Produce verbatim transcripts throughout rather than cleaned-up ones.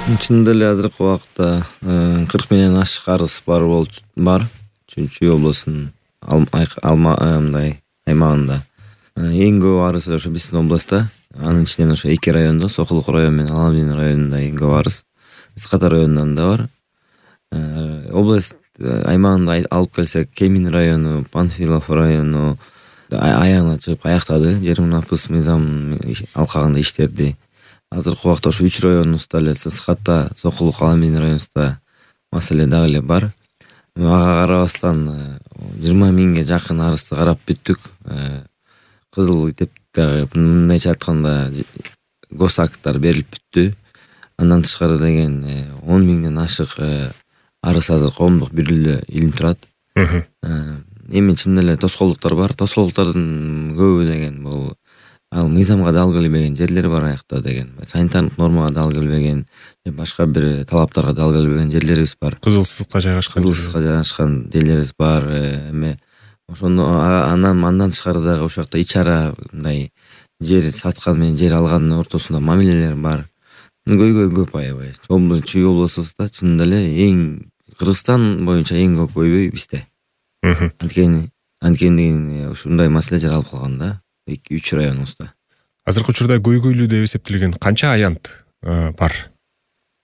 Чынында эле азыркы убакытта кырк миңден ашык арыз бар болчу бар Чүй облусунун алма мындай аймагында. Эң көп арыз ошо биздин областта. Анын ичинен ошо эки райондо, Сокулук району менен Аламдин районунда эң көп арыз. Ысык-Ата районунан да бар. Область аймагында алып келсек, Кемин району, Панфилов району аягына чыгып аяктады. Жермунапыс мыйзам алкагында иштерди. Азыркы убакта ошо үч районубузда эле Ысык-Ата, Сокулук, Аламдин районубузда маселе дагы эле бар. Ага карабастан жыйырма миңге жакын арызды карап бүттүк. Кызыл китеп дагы мындайча айтканда гос акттар берилип бүттү. Андан тышкары деген он миңден ашык арыз азыр коомдук бирөөлө илинип турат. Эми чын эле тоскоолдуктар бар. Тоскоолдуктардын көбү деген бул ал мыйзамга дал келбеген жерлер бар аякта деген. Санитардык нормага дал келбеген, башка бир талаптарга дал келбеген жерлерибиз бар. Кызыл сызыкка жайгашкан. Кызыл сызыкка жайгашкан жерлерибиз бар. Эми ошондо анан андан тышкары дагы ошол жакта ичара мындай жер саткан менен жер алгандын ортосунда мамилелер бар. Көйгөй көп аябай. Чүй облусубузда чынында эле эң Кыргызстан боюнча эң көп көйгөй бизде. Анткени анткени ушундай маселе жаралып калган да эки үч районубузда. Азыркы учурда көйгөйлүү деп эсептелген канча аянт бар?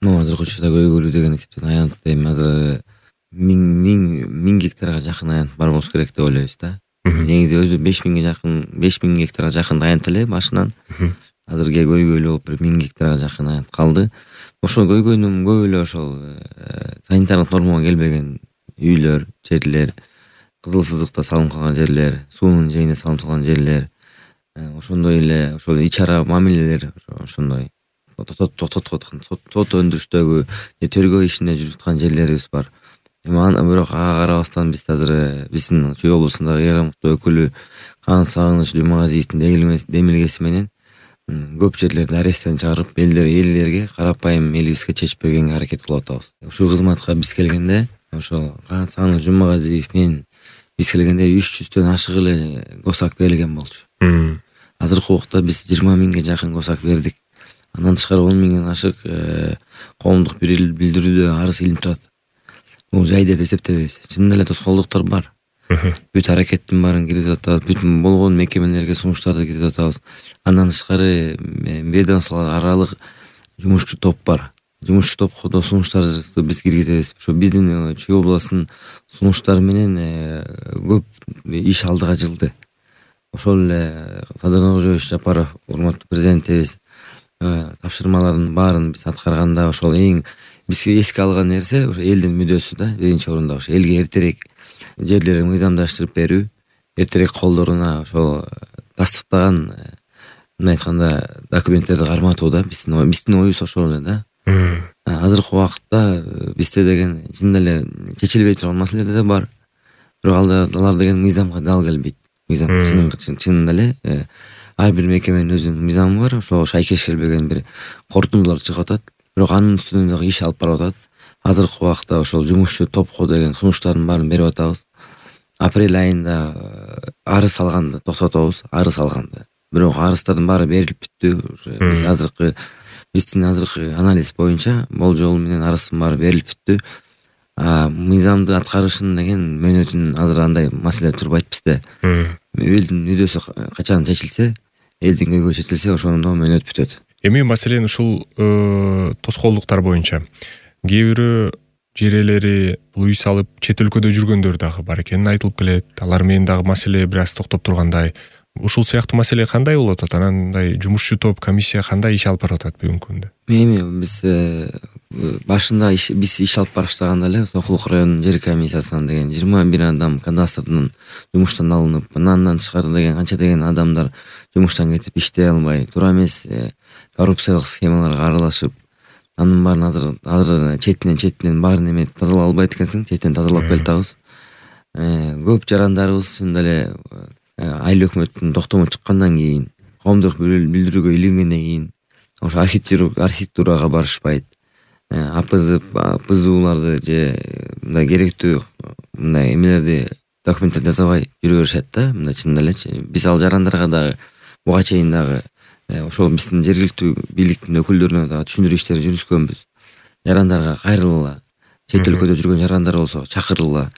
Ну, азыркы учурда көйгөйлүү деген эсептелген аянт эми азыр миң миң миң гектарга жакын аянт бар болуш керек деп ойлойбуз да. Негизи өзү беш миңге жакын беш миң гектарга жакын аянт эле башынан. Азыркы көйгөйлүү болуп бир миң гектарга жакын аянт калды. Ошол көйгөйнүн көбү эле ошол санитардык нормага келбеген үйлөр, жерлер, кызыл сызыкта салынып калган жерлер, суунун жээгине салынып калган жерлер, ошондой эле ошол ичара мамилелер ошондой токтоткон сот өндүрүштөгү же тергөө ишинде жүрүп аткан жерлерибиз бар. Эми аны бирок ага карабастан биз азыр биздин Чүй облусундагы эр ыкмыктуу өкүлү Кан Сагыныч Жумагазиевдин демилгеси менен көп жерлерди аресттен чыгарып, элдерге, карапайым элибизге чечип бергенге аракет кылып атабыз. Ушул кызматка биз келгенде, ошол Кан Сагыныч Жумагазиев менен биз келгенде үч жүздөн ашык эле госак берилген болчу. Азыркы убакта биз жыйырма миңге жакын госак бердик. Андан тышкары он миңден ашык коомдук билдирүүдө арыз илинип турат. Бул жай деп эсептебейбиз. Чын эле тоскоолдуктар бар. Бүт аракеттин баарын киргизип атабыз, бүт болгон мекемелерге сунуштарды киргизип атабыз. Андан тышкары ведомстволор аралык жумушчу топ бар. Жумушчу топко сунуштарды биз киргизебиз. Ошо биздин Чүй облусунун сунуштары менен көп иш алдыга жылды. Ошол эле Садыр Жапаров, урматтуу президентибиз тапшырмалардын баарын биз аткарганда ошол эң бизге эске алган нерсе ошо элдин мүдөөсү да, биринчи орунда ошо элге эртерээк жерлерин мыйзамдаштырып берүү, эртерээк колдоруна ошол тастыктаган мындай айтканда документтерди карматуу да биздин биздин оюбуз ошол эле да. Азыркы убакытта бизде деген чын эле чечилбей турган маселелер да бар. Бирок алар деген мыйзамга дал келбейт. Мыйзам чын эле ар бир мекеменин өзүнүн мыйзамы бар. Ошого шайкеш келбеген бир корутундулар чыгып атат. Бирок анын үстүнөн дагы иш алып барып атат. Азыркы убакытта ошол жумушчу топко деген сунуштардын баарын берип атабыз. Апрель айында арыз алганды токтотобуз, арыз алганды. Бирок арыздардын баары берилип бүттү. Биз азыркы биздин азыркы анализ боюнча болжол менен арыздын баары берилип бүттү. Мыйзамды аткарышын деген мөөнөтүн азыр андай маселе турбайт бизде. Элдин мүдөөсү качан чечилсе, элдин көйгөйү чечилсе, ошондо мөөнөт бүтөт. Эми маселен ушул тоскоолдуктар боюнча кээ бирөө жер ээлери бул үй салып чет өлкөдө жүргөндөр дагы бар экени айтылып келет. Алар менен дагы маселе бир аз токтоп тургандай. Ушул сыяктуу маселе кандай болуп атат? Анандай жумушчу топ, комиссия кандай иш алып барып атат бүгүнкү күндө? Эми биз башында биз иш алып барыштаганда эле Сокулук районунун жер комиссиясынан деген жыйырма бир адам кадастрдын жумуштан алынып, андан тышкары деген канча деген адамдар жумуштан кетип иштей албай, туура эмес коррупциялык схемаларга аралашып, анын баарын азыр азыр четинен четинен баарын эме тазалай албайт экенсиң, четинен тазалап келатабыз. Көп жарандарыбыз чын эле айыл өкмөттүн токтому чыккандан кийин, коомдук билдирүүгө илингенден кийин ошо архитектурага барышпайт. АПЗ, ПЗУларды же мындай керектүү мындай эмелерди документтер жасабай жүрө беришет да. Мындай чын элечи биз ал жарандарга дагы буга чейин дагы ошол биздин жергиликтүү бийликтин өкүлдөрүнө дагы түшүндүрүү иштери жүргүзгөнбүз. жарандарга кайрылгыла, чет өлкөдө жүргөн жарандар болсо чакыргыла,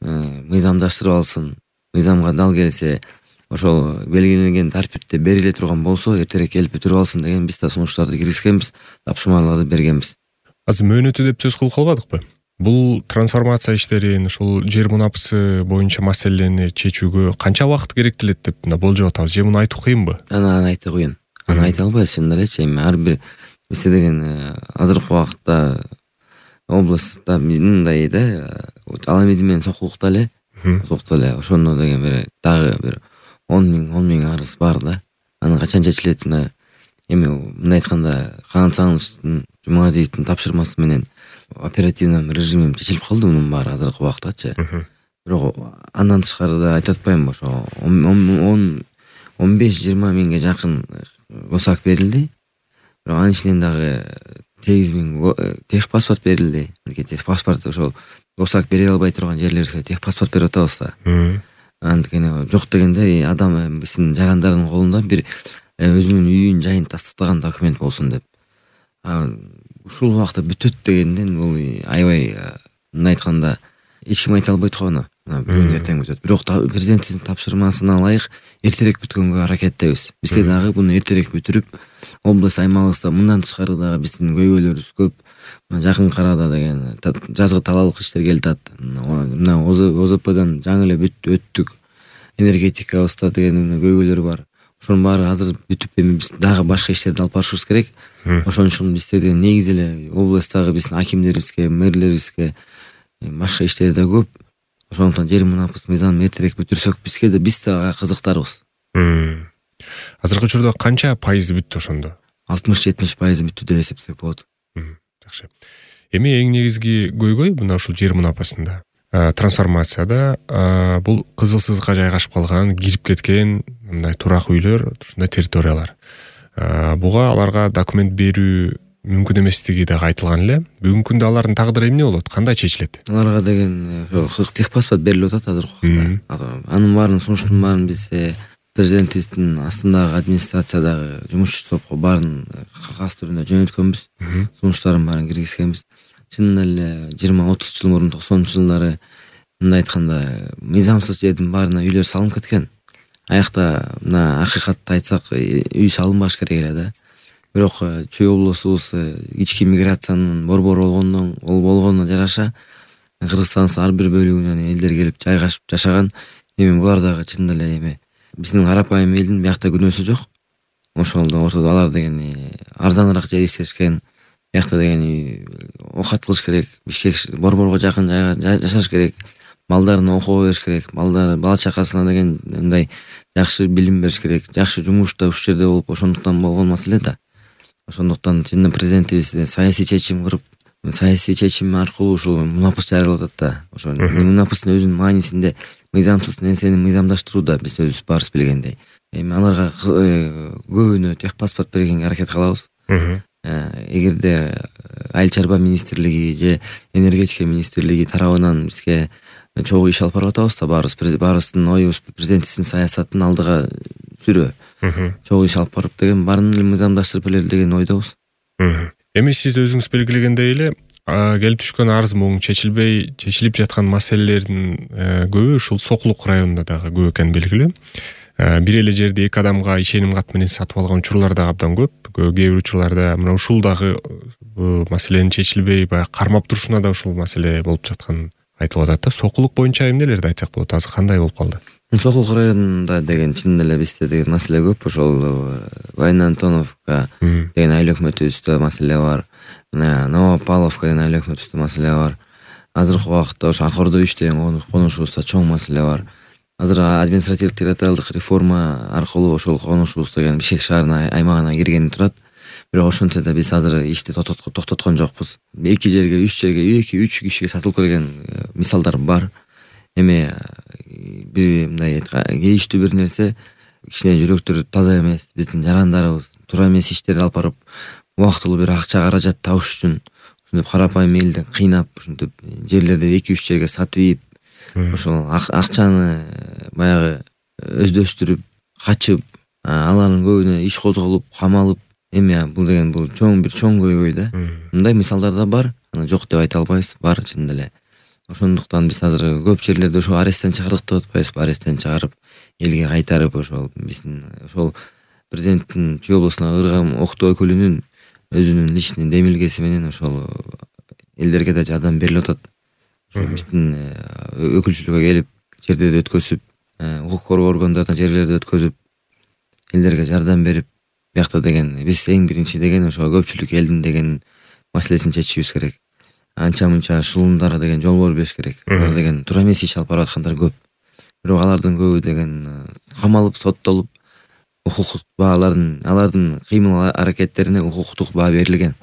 мыйзамдаштырып алсын. Мыйзамга дал келсе, ошол белгиленген тартипте бериле турган болсо эртерээк келип бүтүрүп алсын деген биз да сунуштарды киргизгенбиз, тапшырмаларды бергенбиз. Азыр мөөнөтү деп сөз кылып калбадыкпы? Бул трансформация иштерин, ушул жер мунапысы боюнча маселени чечүүгө канча убакыт керектелет деп мына болжоп атабыз? Же муну айтуу кыйынбы? Аны айтуу кыйын. Аны айта албайбыз чын элечи. Эми ар бир бизде деген азыркы убакытта областта мындай да, ал эми менен сокулукта эле, сокулукта эле ошондо деген бир дагы бир он миң он миң арыз бар да. Аны качан чечилет? Мына эми мындай айтканда Канат Сагынычтын, Жумагазиевдин тапшырмасы менен оперативный режимим чечилип калды мунун баары азыркы убактачы. Бирок андан тышкары да айтып атпаймынбы, ошо он он беш жыйырма миңге жакын госак берилди. Бирок анын ичинен дагы сегиз миң техпаспорт берилди. Техпаспорт ошол госак бере албай турган жерлерибизге техпаспорт берип атабыз да. Анткени жок дегенде адам биздин жарандардын колунда бир өзүнүн үйүн, жайын тастыктаган документ болсун деп. Ушул убакта бүтөт дегенден бул аябай, мындай айтканда эч ким айта албайт го аны. Бүгүн эртең бүтөт. Бирок президенттин тапшырмасына ылайык эртерээк бүткөнгө аракеттебиз. Бизге дагы буну эртерээк бүтүрүп, область аймагыбызда мындан тышкары дагы биздин көйгөйлөрүбүз көп. Жакын арада деген жазгы талаалык иштер келип атат. Мына ОЗПдан жаңы эле өттүк. Энергетикабызда деген көйгөйлөр бар. Ошонун баары азыр бүтүп, эми биз дагы башка иштерди алып барышыбыз керек. Ошон үчүн бизде деген негизи эле областтагы биздин акимдерибизге, мэрлерибизге башка иштер да көп. Ошондуктан жер мунапыс мыйзамын эртерээк бүтүрсөк, бизге да биз да кызыктарбыз. Азыркы учурда канча пайызы бүттү ошондо? алтымыш жетимиш пайызы бүттү деп эсептесек болот. Жакшы. Эми эң негизги көйгөй мына ушул жер мунапасында, трансформацияда бул кызылсызга жайгашып калган, кирип кеткен мындай турак үйлөр, ушундай территориялар. Буга аларга документ берүү мүмкүн эместиги дагы айтылган эле. Бүгүнкү күндө алардын тагдыры эмне болот? Кандай чечилет? Аларга деген ошол техпаспорт берилип атат азыркы убакта. Анын баарын, сунуштун баарын биз президентибиздин астындагы администрациядагы жумушчу топко баарын кагаз түрүндө жөнөткөнбүз. Сунуштарын баарын киргизгенбиз. Чын эле жыйырма отуз жыл мурун токсонунчу жылдары мындай айтканда мыйзамсыз жердин баарына үйлөр салынып кеткен. Аякта мына акыйкатты айтсак, үй салынбаш керек эле да. Бирок Чүй облусубуз ички миграциянын борбору болгондон ол болгонуна жараша Кыргызстандын ар бир бөлүгүнөн элдер келип жайгашып жашаган. Эми булар дагы чын эле эми биздин карапайым элдин биякта күнөөсү жок. Ошолдо ортодо алар деген арзаныраак жер иштешкен. Биякта деген окат кылыш керек, Бишкек борборго жакын жашаш керек. Балдарына окуга бериш керек. Балдар бала чакасына деген мындай жакшы билим бериш керек. Жакшы жумушта ушул жерде болуп, ошондуктан болгон маселе да. Ошондуктан чындап президентибиз саясий чечим кырып, саясий чечим аркылуу ушул мунапыс жарыялап атат да. Ошо мунапыстын өзүнүн маанисинде мыйзамсыз нерсени мыйзамдаштырууда биз өзүбүз баарыбыз билгендей. Эми аларга көбүнө техпаспорт бергенге аракет кылабыз. Эгерде Айыл чарба министрлиги же энергетика министрлиги тарабынан бизге чогуу иш алып барып атабыз да, баарыбыз баарыбыздын оюбуз президентибиздин саясатын алдыга сүрөө. Чогуу иш алып барып деген баарын эле мыйзамдаштырып эле деген ойдобуз. Эми сиз өзүңүз белгилегендей эле келип түшкөн арыз муң чечилбей, чечилип жаткан маселелердин көбү ушул Сокулук районунда дагы көп экени белгилүү. Бир эле жерди эки адамга ишеним кат менен сатып алган учурлар да абдан көп. Кээ бир учурларда мына ушул дагы маселенин чечилбей, баягы кармап турушуна да ушул маселе болуп жаткан айтылып атат да. Сокулук боюнча эмнелерди айтсак болот? Азыр кандай болуп калды? Сокулук районунда деген чын эле бизде деген маселе көп. Ошол Вайна Антоновка деген айыл өкмөтүбүздө маселе бар. Новопавловка деген айыл өкмөтүбүздө маселе бар. Азыркы убакытта ошо Акордо үч деген конушубузда чоң маселе бар. Азыр административдик территориалдык реформа аркылуу ошол конушубуз деген Бишкек шаарына аймагына киргени турат. Бирок ошентсе да биз азыр ишти токтоткон жокпуз. Эки жерге, үч жерге, эки үч кишиге сатылып келген мисалдар бар. Эми бир мындай кейиштүү бир нерсе, кичине жүрөктөрү таза эмес. Биздин жарандарыбыз туура эмес иштерди алып барып, убактылуу бир акча каражат табыш үчүн ушинтип карапайым элди кыйнап, ушинтип жерлерди эки үч жерге сатып ийип, ошол акчаны баягы өздөштүрүп, качып, алардын көбүнө иш козголуп, камалып, эми бул деген бул чоң бир чоң көйгөй да. Мындай мисалдар да бар, аны жок деп айта албайбыз, бар чын эле. Ошондуктан биз азыр көп жерлерде ошо аресттен чыгардык деп атпайбызбы, аресттен чыгарып элге кайтарып ошол биздин ошол президенттин Чүй облусуна кырган Октоо өкүлүнүн өзүнүн личный демилгеси менен ошол элдерге да жардам берилип атат. Ошо биздин өкүлчүлүккө келип жердерди өткөзүп, укук коргоо органдарына жерлерди өткөзүп, элдерге жардам берип, биякта деген биз эң биринчи деген ошо көпчүлүк элдин деген маселесин чечишибиз керек. Анча мынча шылымдарга деген жол бербеш керек. Алар деген туура эмес иш алып бараткандар көп. Бирок алардын көбү деген камалып, соттолуп, укуктук баалардын алардын кыймыл аракеттерине укуктук баа берилген.